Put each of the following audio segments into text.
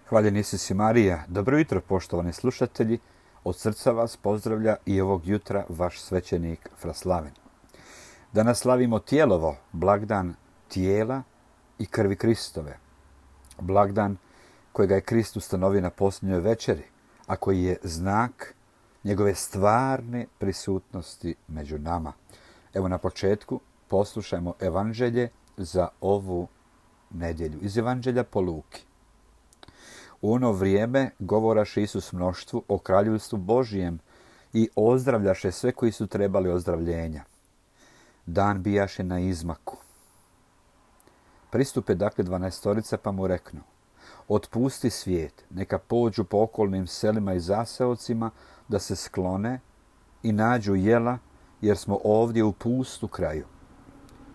Hvaljen Isus i Marija. Dobro jutro, poštovani slušatelji. Od srca vas pozdravlja i ovog jutra vaš svećenik Fraslaven. Danas slavimo Tijelovo, blagdan tijela i krvi Kristove. Blagdan kojega je Krist ustanovio na posljednjoj večeri, a koji je znak njegove stvarne prisutnosti među nama. Evo na početku poslušajmo evanđelje za ovu nedjelju. Iz evanđelja po Luki. U ono vrijeme govoraše Isus mnoštvu o kraljevstvu Božijem i ozdravljaše sve koji su trebali ozdravljenja. Dan bijaše na izmaku. Pristupe dakle 12 pa mu reknu: otpusti svijet, neka pođu po okolnim selima i zaseocima da se sklone i nađu jela, jer smo ovdje u pustu kraju.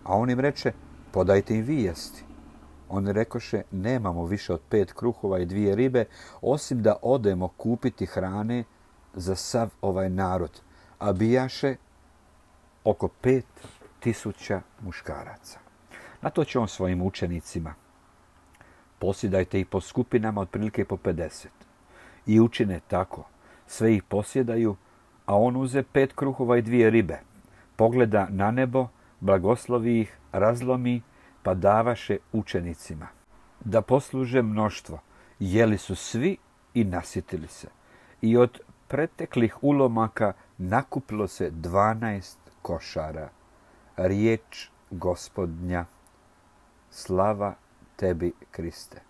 A on im reče: podajte im vi jesti. Oni rekoše: nemamo više od 5 kruhova i 2 ribe, osim da odemo kupiti hrane za sav ovaj narod. A bijaše oko 5.000 muškaraca. Na to će on svojim učenicima: posjedajte ih po skupinama otprilike po 50. I učine tako. Sve ih posjedaju, a on uze 5 kruhova i 2 ribe. Pogleda na nebo, blagoslovi ih, razlomi, pa davaše učenicima da posluže mnoštvo. Jeli su svi i nasitili se. I od preteklih ulomaka nakupilo se 12 košara. Riječ Gospodnja. Slava tebi, Kriste.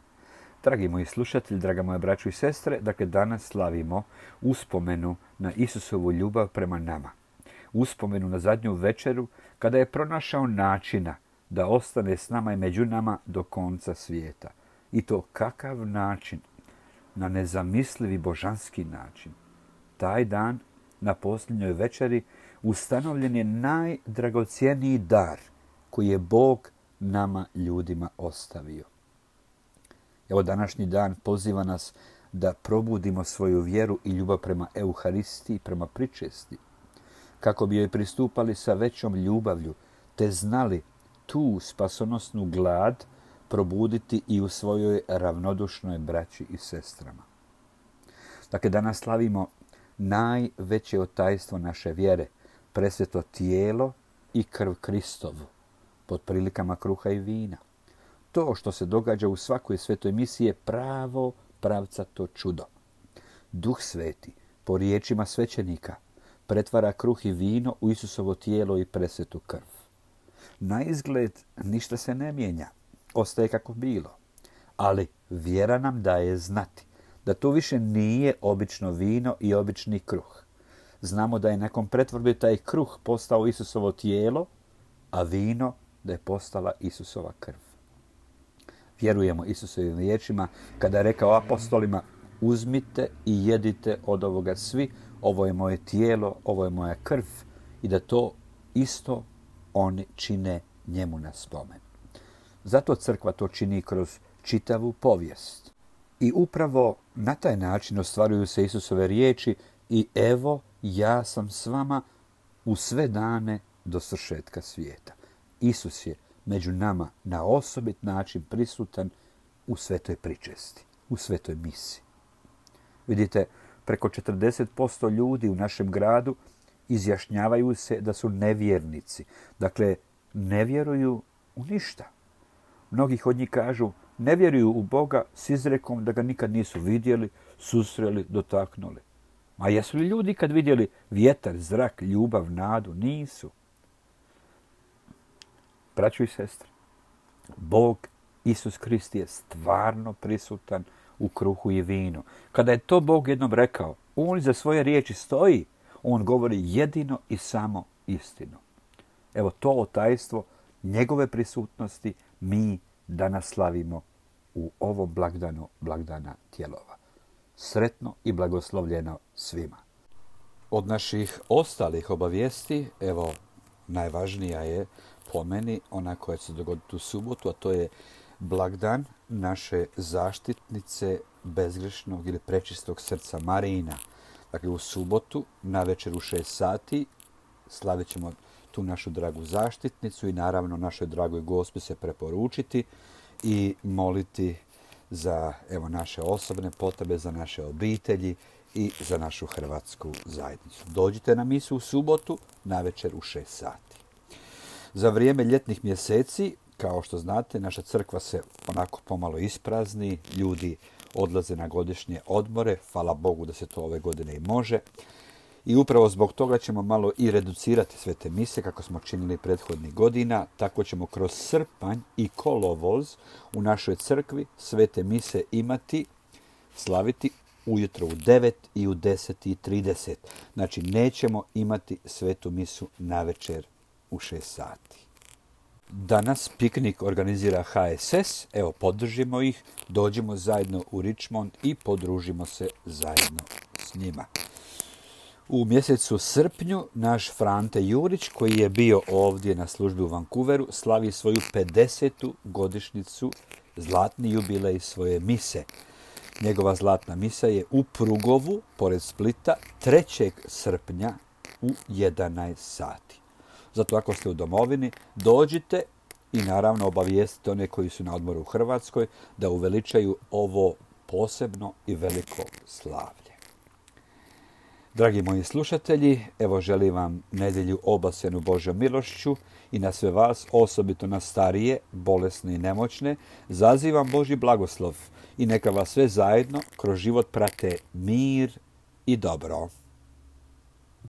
Dragi moji slušatelji, draga moja braćo i sestre, dakle danas slavimo uspomenu na Isusovu ljubav prema nama. Uspomenu na zadnju večeru kada je pronašao načina da ostane s nama i među nama do konca svijeta. I to kakav način? Na nezamislivi božanski način. Taj dan, na posljednjoj večeri, ustanovljen je najdragocjeniji dar koji je Bog nama ljudima ostavio. Evo današnji dan poziva nas da probudimo svoju vjeru i ljubav prema Euharistiji, prema pričesti, kako bi joj pristupali sa većom ljubavlju, te znali tu spasonosnu glad probuditi i u svojoj ravnodušnoj braći i sestrama. Dakle, danas slavimo najveće tajstvo naše vjere, presveto tijelo i krv Kristovu, pod prilikama kruha i vina. To što se događa u svakoj svetoj misi je pravo pravcato čudo. Duh Sveti, po riječima svećenika, pretvara kruh i vino u Isusovo tijelo i presvetu krv. Na izgled ništa se ne mijenja, ostaje kako bilo, ali vjera nam daje znati da to više nije obično vino i obični kruh. Znamo da je nakon pretvorbe taj kruh postao Isusovo tijelo, a vino da je postala Isusova krv. Vjerujemo Isusovim riječima kada je rekao apostolima: uzmite i jedite od ovoga svi, ovo je moje tijelo, ovo je moja krv, i da to isto oni čine njemu na spomen. Zato crkva to čini kroz čitavu povijest. I upravo na taj način ostvaruju se Isusove riječi: i evo ja sam s vama u sve dane do svršetka svijeta. Isus je među nama na osobit način prisutan u svetoj pričesti, u svetoj misi. Vidite, preko 40% ljudi u našem gradu izjašnjavaju se da su nevjernici. Dakle, ne vjeruju u ništa. Mnogi od njih kažu ne vjeruju u Boga s izrekom da ga nikad nisu vidjeli, susreli, dotaknuli. A jesu li ljudi kad vidjeli vjetar, zrak, ljubav, nadu? Nisu. Braćo i sestre, Bog Isus Krist je stvarno prisutan u kruhu i vinu. Kada je to Bog jednom rekao, on za svoje riječi stoji. On govori jedino i samo istinu. Evo to tajstvo njegove prisutnosti mi danas slavimo u ovom blagdanu, blagdana Tijelova. Sretno i blagoslovljeno svima. Od naših ostalih obavijesti, evo najvažnija je po meni ona koja će se dogoditi u subotu, a to je blagdan naše zaštitnice bezgrešnog ili prečistog srca Marijina. Dakle, u subotu na večer u 6 sati slavit ćemo tu našu dragu zaštitnicu i naravno našoj dragoj Gospi se preporučiti i moliti za naše osobne potrebe, za naše obitelji i za našu hrvatsku zajednicu. Dođite na misu u subotu navečer u 6 sati. Za vrijeme ljetnih mjeseci, kao što znate, naša crkva se onako pomalo isprazni, ljudi odlaze na godišnje odmore, hvala Bogu da se to ove godine i može. I upravo zbog toga ćemo malo i reducirati svete mise, kako smo činili prethodnih godina. Tako ćemo kroz srpanj i kolovoz u našoj crkvi svete mise slaviti ujutro u 9 i u 10:30. Znači, nećemo imati svetu misu navečer u 6 sati. Danas piknik organizira HSS, podržimo ih, dođimo zajedno u Richmond i podružimo se zajedno s njima. U mjesecu srpnju naš Frante Jurić, koji je bio ovdje na službi u Vancouveru, slavi svoju 50. godišnjicu, zlatni jubilej svoje mise. Njegova zlatna misa je u Prugovu, pored Splita, 3. srpnja u 11 sati. Zato ako ste u domovini, dođite i naravno obavijestite one koji su na odmoru u Hrvatskoj da uveličaju ovo posebno i veliko slavlje. Dragi moji slušatelji, želim vam nedjelju obasjanu Božjom milošću i na sve vas, osobito na starije, bolesne i nemoćne, zazivam Božji blagoslov i neka vas sve zajedno kroz život prate mir i dobro.